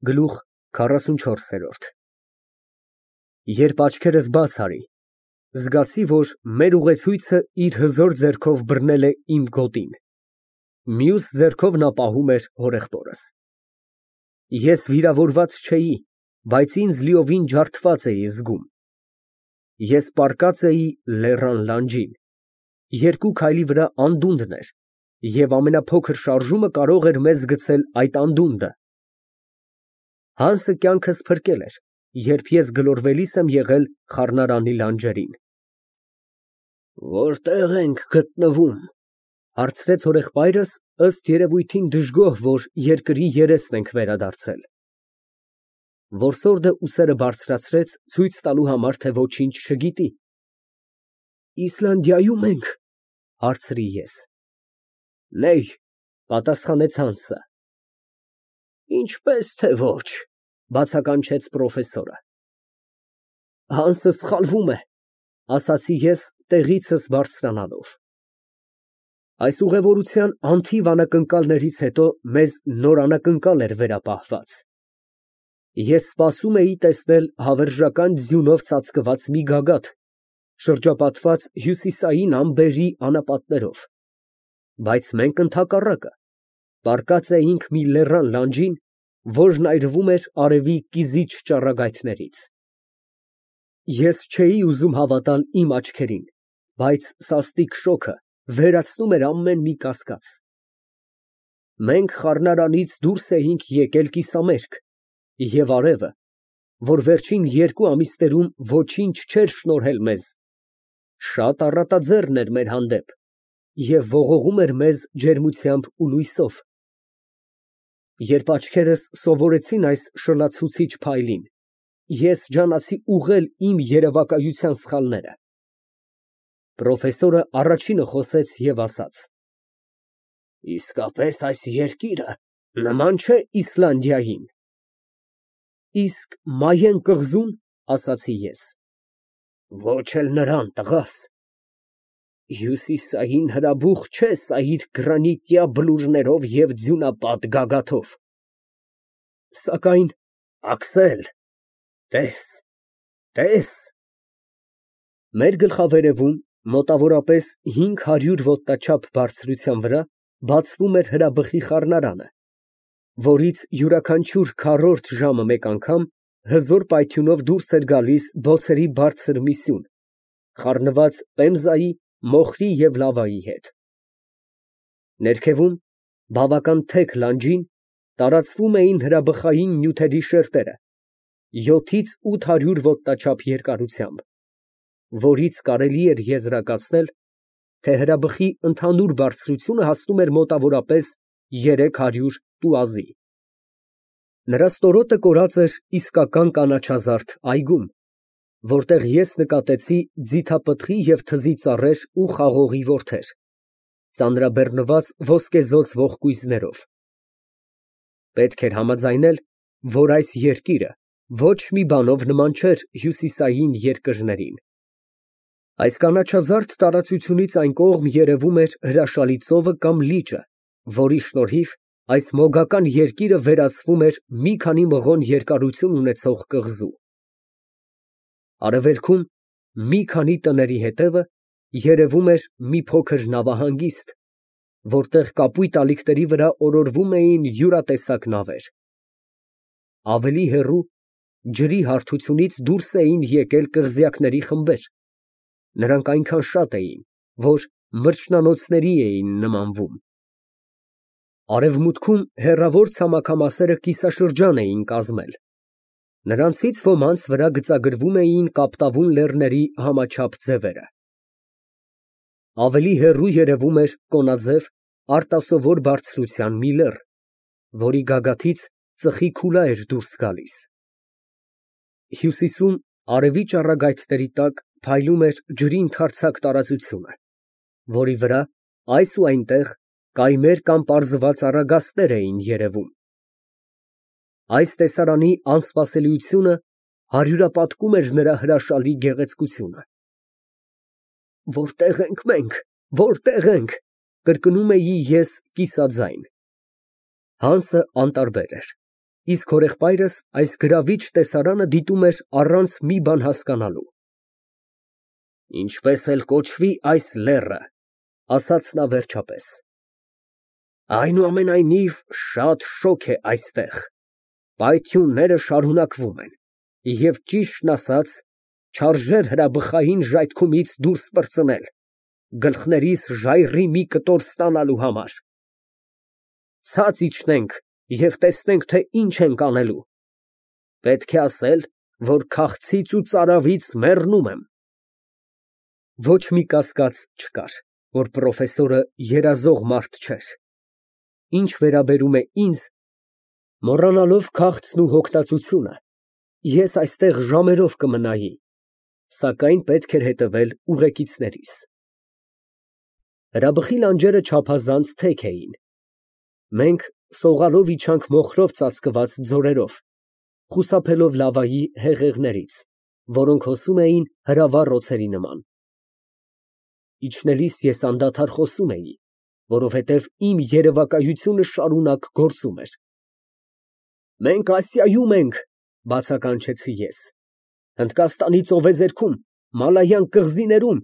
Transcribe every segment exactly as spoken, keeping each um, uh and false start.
Գլուխ քառասունչորս։ Երբ աչքերս բաց արի, զգացի, որ մեր ուղեցույցը իր հզոր ձեռքով բռնել է իմ գոտին, մյուս ձեռքով նա պահում էր հորեղբորս։ Ես վիրավորված չէի, բայց ինձ լիովին ջարդված էի զգում։ Ես պառկած էի լեռան լանջին, երկու քայլի վրա անդունդն էր, և ամենափոքր շարժումը կարող էր մեզ գցել այդ անդունդը։ Հանսը կյանքս փրկել էր, երբ ես գլորվելիս եմ եղել խառնարանի լանջերին։ «Որտե՞ղ ենք գտնվում», ֊ հարցրեց հորեղբայրս, ըստ երևույթին դժգոհ, որ երկրի երեսն ենք վերադարձել։ Որսորդը ուսերը բարձրացրեց, ցույց տալու համար, թե ոչինչ չգիտի։ «Իսլանդիայում ենք», ֊ հարցրի ես։ «Նեյ», ֊ պատասխանեց Հանսը։ «Ինչպես թե ոչ», ֊ բացականչեց պրոֆեսորը։ «Հանսը սխալվում է», ֊ ասացի ես, տեղիցս բարձրանալով։ Այս ուղևորության անթիվ անակնկալներից հետո մեզ նոր անակնկալ էր վերապահված։ Ես սպասում էի տեսնել հավերժական ձյունով ծածկված մի գագաթ, շրջապատված հյուսիսային ամպերի անապատներով, բայց մենք ընդհակառակը պառկած էինք մի լեռան լանջին, որն այրվում էր արևի կիզիչ ճառագայթներից։ Ես չէի ուզում հավատալ իմ աչքերին, բայց սաստիկ շոգը վերացնում էր ամեն մի կասկած։ Մենք խառնարանից դուրս էինք եկել կիսամերկ, և արևը, որ վերջին երկու ամիսներում ոչինչ չէր շնորհել մեզ, շատ առատաձեռն էր մեր հանդեպ և ողողում էր մեզ ջերմությամբ ու լույսով։ Երբ աչքերս սովորեցին այս շլացուցիչ փայլին, ես ջանացի ուղղել իմ երևակայության սխալները։ Պրոֆեսորը առաջինը խոսեց և ասաց. «Իսկապես այս երկիրը նման չէ Իսլանդիային»։ «Իսկ Մայեն կղզու՞ն», ֊ ասացի ես։ «Ոչ էլ նրան, տղաս։ Հյուսիսային հրաբուխ չէ սա իր գրանիտյա բլուրներով և ձյունապատ գագաթով։ Սակայն, Աքսել, տես, տես»։ Մեր գլխավերևում, մոտավորապես հինգ հարյուր ոտնաչափ բարձրության վրա, բացվում էր հրաբխի խառնարանը, որից յուրաքանչյուր քառորդ ժամը մեկ անգամ հզոր պայթյունով դուրս էր գալիս բոցերի բարձր մի սյուն, խառնված պեմզայի, մոխրի և լավայի հետ։ Ներքևում, բավական թեք լանջին, տարածվում էին հրաբխային նյութերի շերտերը, յոթից ութ հարյուր ոտնաչափ երկարությամբ, որից կարելի էր եզրակացնել, թե հրաբխի ընդհանուր բարձրությունը հասնում էր մոտավորապես երեք հարյուր տուազի։ Նրա ստորոտը կորած էր իսկական կանաչազարդ այգում, որտեղ ես նկատեցի ձիթապտղի և թզի ծառեր ու խաղողի որդեր, ծանրաբեռնված ոսկեզօծ ողկույզներով։ Պետք էր համաձայնել, որ այս երկիրը ոչ մի բանով նման չէր հյուսիսային երկրներին։ Այս կանաչազարդ տարածությունից այն կողմ երևում էր հրաշալի ծովը կամ լիճը, որի շնորհիվ այս մոգական երկիրը վերածվում էր մի քանի մղոն երկարություն ունեցող կղզու։ Արևելքում, մի քանի տների հետևը, երևում էր մի փոքր նավահանգիստ, որտեղ կապույտ ալիքների վրա օրորվում էին յուրատեսակ նավեր։ Ավելի հեռու, ջրի հարթությունից դուրս էին եկել կղզյակների խմբեր, նրանք այնքան շատ էին, որ մրջնանոցների էին նմանվում։ Արևմուտքում հեռավոր ցամաքամասերը կիսաշրջան էին կազմել, նրանցից ոմանց վրա գծագրվում էին կապտավուն լեռների համաչափ ձևերը։ Ավելի հեռու երևում էր կոնաձև, արտասովոր բարձրության մի լեռ, որի գագաթից ծխի քուլա էր դուրս գալիս։ Հյուսիսում, արևի ճառագայթների տակ, փայլում էր ջրի ընդարձակ տարածությունը, որի վրա այս ու այնտեղ կայմեր կամ պարզված առագաստներ էին երևում։ Այս տեսարանի անսպասելիությունը հարյուրապատկում էր նրա հրաշալի գեղեցկությունը։ «Որտե՞ղ ենք մենք, որտե՞ղ ենք», ֊ կրկնում էի ես կիսաձայն։ Հանսը անտարբեր էր։ իսկ հորեղբայրս այս գրավիչ տեսարանը դիտում էր առանց մի բան հասկանալու։ Ինչպես էլ կոչվի այս լեռը, ասաց նա վերջապես, այնուամենայնիվ շատ շոգ է այստեղ, պայթյունները շարունակվում են, և ճիշտն ասած, չարժեր հրաբխային ժայթքումից դուրս պրծնել, գլխներիս ժայռի մի կտոր ստանալու համար։ Ցած իջնենք և տեսնենք, թե ինչ ենք անելու։ Պետք է ասել, որ քաղցից ու ծարավից մեռնում եմ։ Ոչ մի կասկած չկար, որ պրոֆեսորը երազող մարդ չէր։ Ինչ վերաբերում է ինձ, մոռանալով քաղցն ու հոգնածությունը, ես այստեղ ժամերով կմնայի, սակայն պետք էր հետևել ուղեկիցներիս։ Հրաբխի լանջերը չափազանց թեք էին։ Մենք սողալով իջանք մոխրով ծածկված ձորերով, խուսափելով լավայի հեղեղներից, որոնք հոսում էին հրավառ օձերի նման։ Իջնելիս ես անդադար խոսում էի, որովհետև իմ երևակայությունը շարունակ գործում էր։ Մենք Ասիայում ենք, բացականչեցի ես, Հնդկաստանի ծովեզերքում, Մալայան կղզիներում,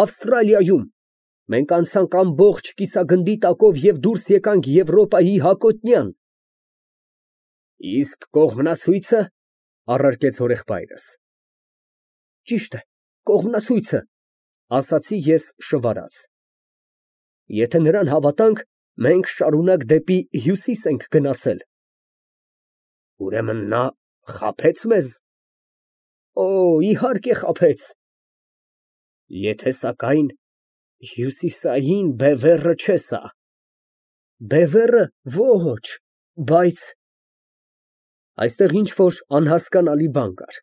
Ավստրալիայում, մենք անցանք ամբողջ կիսագնդի տակով և դուրս եկանք Եվրոպայի հակոտնյան։ Իսկ կողմնացույցը, առարկեց հորեղբայրս։ Ճիշտ է, կողմնացույցը, ասացի ես շվարած։ Եթե նրան հավատանք, մենք շարունակ դեպի հյուսիս ենք գնացել։ Ուրեմն նա խաբե՞ց մեզ։ Օ, իհարկե խաբեց։ Եթե սակայն հյուսիսային բևեռը չէ սա։ Բևեռը ոչ, բայց… Այստեղ ինչ֊որ անհասկանալի բան կար։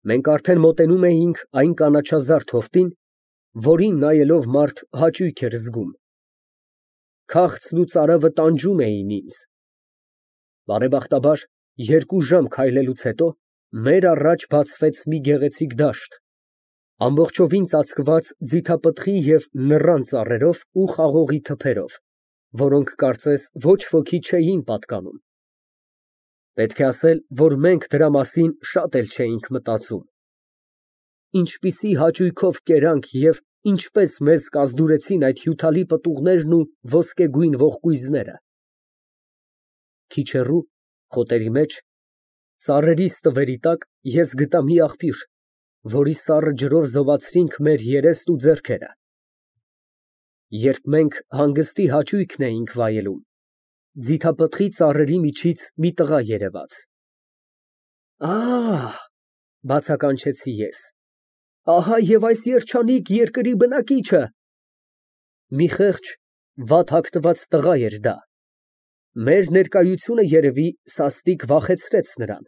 Մենք արդեն մոտենում էինք այն կանաչազարդ հովտին, որին նայելով մարդ հաճույք էր զգում։ Քաղցն ու ծարավը տանջում էին ինձ։ Բարեբախտաբար, երկու ժամ քայլելուց հետո մեր առաջ բացվեց մի գեղեցիկ դաշտ, ամբողջովին ծածկված ձիթապտղի և նռան ծառերով ու խաղողի թփերով, որոնք կարծես ոչ ոքի չէին պատկանում։ Պետք է ասել, որ մենք դրա մասին շատ էլ չէինք մտածում։ Ինչպիսի հաճույքով կերանք և ինչպես մեզ կազդուրեցին այդ հյութալի պտուղներն ու ոսկեգույն ողկույզները։ Քիչ հեռու, խոտերի մեջ, ծառերի ստվերի տակ ես գտա մի աղբյուր, որի սառը ջրով զովացրինք մեր երեստ ու ձեռքերը։ Երբ մենք հանգստի հաճույքն էինք վայելում, ձիթապտղի ծառերի միջից մի տղա երևաց։ Ահ, բացականչեցի ես, ահա և այս երջանիկ երկրի բնակիչը։ Մի խեղճ, վատ հագնված տղա էր դա։ Մեր ներկայությունը երևի սաստիկ վախեցրեց նրան։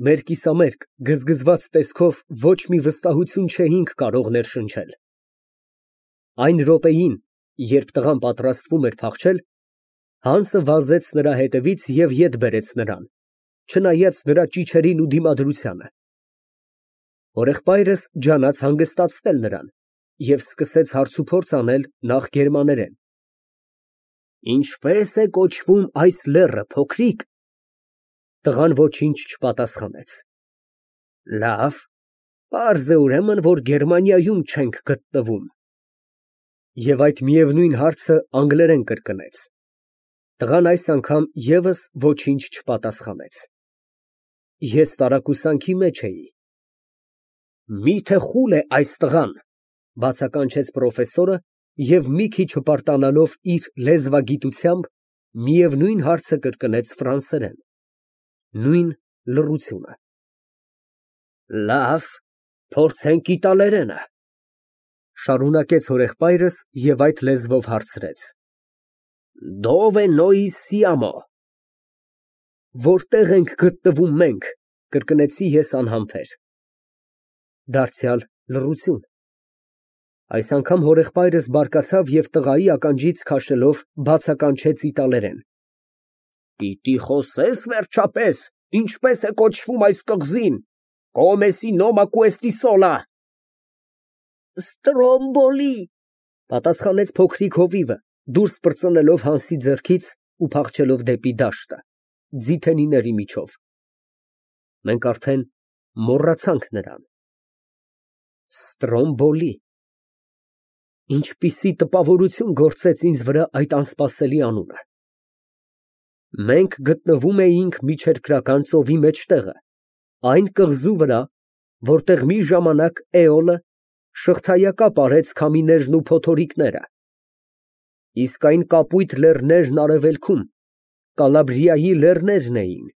Մեր կիսամերկ, գզգզված տեսքով ոչ մի վստահություն չէինք կարող ներշնչել։ Այն րոպեին, երբ տղան պատրաստվում էր փախչել, Հանսը վազեց նրա հետևից և ետ բերեց նրան, չնայած նրա ճիչերին ու դիմադրությանը։ Հորեղբայրս ջանաց հանգստացնել նրան և սկսեց հարցուփորձ անել նախ գերմաներեն։ Ինչպե՞ս է կոչվում այս լեռը, փոքրիկ։ Տղան ոչինչ չպատասխանեց։ Լավ, պարզ է ուրեմն, որ Գերմանիայում չենք գտնվում։ Եվ այդ միևնույն հարցը անգլերեն կրկնեց։ Տղան այս անգամ ևս ոչինչ չպատասխանեց։ Ես տարակուսանքի մեջ էի։ Մի՞թե խուլ է այս տղան, բացականչեց պրոֆեսորը և մի քիչ հպարտանալով իր լեզվագիտությամբ միևնույն հարցը կրկնեց ֆրանսերեն։ Նույն լռությունը։ Լավ, փորձենք իտալերենը, շարունակեց հորեղբայրս և այդ լեզվով հարցրեց։ Dove noi siamo։ Որտեղ ենք գտնվում մենք, կրկնեցի ես անհամբեր։ Դարձյալ լռություն։ Այս անգամ հորեղբայրս բարկացավ և տղայի ականջից քաշելով բացականչեց իտալերեն։ Պիտի խոսե՞ս վերջապես, ինչպես է կոչվում այս կղզին, Come si noma questi sola։ Ստրոմբոլի, պատասխանեց փոքրիկ հովիվը, դուրս պրծնելով Հանսի ձեռքից ու փախչելով դեպի դաշտը, ձիթենիների միջով։ Մենք արդեն մոռացանք նրան։ Ստրոմբոլի։ Ինչպիսի տպավորություն գործեց ինձ վրա այդ անսպասելի անունը։ Մենք գտնվում էինք միջերկրական ծովի մեջտեղը, այն կղզու վրա, որտեղ մի ժամանակ Էոլը շղթայակապ արեց քամիներն ու փոթորիկները, իսկ այն կապույտ լեռներն արևելքում Կալաբրիայի լեռներն էին,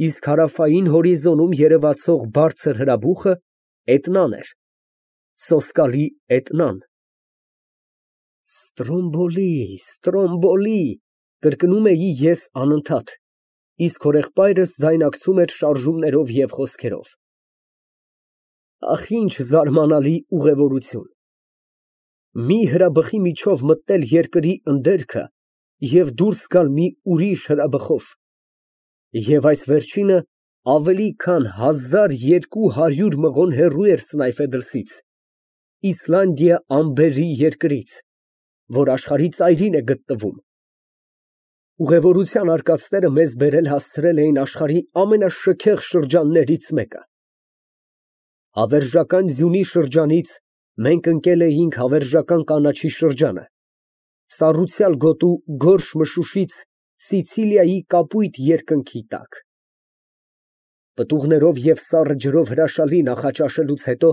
իսկ հարավային հորիզոնում երևացող բարձր հրաբուխը Էտնան էր, սոսկալի Էտնան։ Ստրոմբոլի, Ստրոմբոլի, կրկնում էի ես անընդհատ, իսկ հորեղբայրս ձայնակցում էր շարժումներով և խոսքերով։ Ահ, ինչ զարմանալի ուղևորություն։ Մի հրաբխի միջով մտնել երկրի ընդերքը և դուրս գալ մի ուրիշ հրաբխով, և այս վերջինը ավելի քան հազար երկու հարյուր մղոն հեռու էր Սնայֆեդրսից, Իսլանդիա ամբերի երկրից, որ աշխարհի ծայրին է գտնվում։ Ուղևորության արկածները մեզ բերել հասցրել էին աշխարհի ամենաշքեղ շրջաններից մեկը։ Հավերժական ձյունի շրջանից մենք ընկել էինք հավերժական կանաչի շրջանը, սառուցյալ գոտու գորշ մշուշից Սիցիլիայի կապույտ երկնքի տակ։ Պտուղներով և սառը ջրով հրաշալի նախաճաշելուց հետո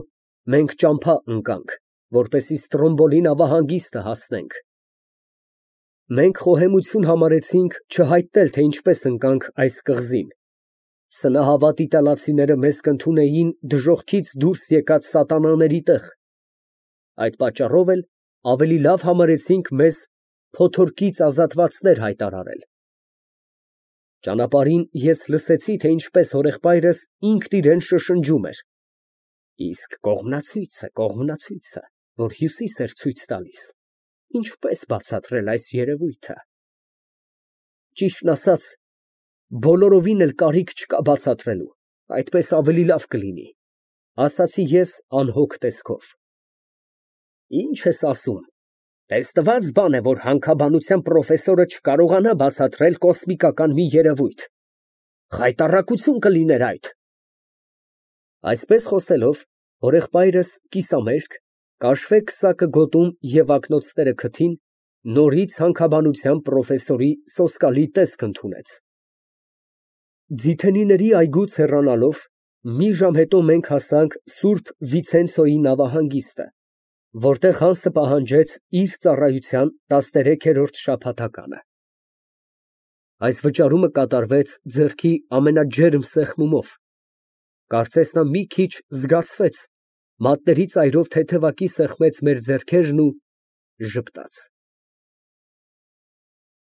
մենք ճամփա ընկանք, որպեսզի Ստրոմբոլի նավահանգիստը հասնենք։ Մենք խոհեմություն համարեցինք չհայտնել, թե ինչպես ընկանք այս կղզին։ Սնահավատ իտալացիները մեզ կընդունեին դժոխքից դուրս եկած սատանաների տեղ, այդ պատճառով էլ ավելի լավ համարեցինք մեզ փոթորկից ազատվածներ հայտարարել։ Ճանապարհին ես լսեցի, թե ինչպես հորեղբայրս ինքն իրան շշնջում էր. «Իսկ կողմնացույցը, կողմնացույցը, որ հյուսիս էր ցույց տալիս, ինչպես բացատրել այս երևույթը»։ Ճիշտն ասած, բոլորովին էլ կարիք չկա բացատրելու, այդպես ավելի լավ կլինի, ասացի ես անհոգ տեսքով։ Ինչ ես ասում, տեսնված բան է, որ հանքաբանության պրոֆեսորը չկարողանա բացատրել կոսմիկական մի երևույթ, խայտառակություն կլիներ այդ։ Այսպես խոսելով, հորեղբայրս կիսամերկ, կաշվե քսակը գոտում և ակնոցները քթին, նորից հանքաբանության պրոֆեսորի սոսկալի տեսք ընդունեց։ Ձիթենիների այգուց հեռանալով, մի ժամ հետո մենք հասանք Սուրբ Վիցենցիոյի նավահանգիստը, որտեղ Հանսը պահանջեց իր ծառայության տասներեքերորդ շաբաթականը։ Այս վճարումը կատարվեց ձեռքի ամենաջերմ սեղմումով, կարծես նա մի քիչ զգացվեց, մատների ծայրով թեթևակի սեղմեց մեր ձեռքերն ու ժպտաց։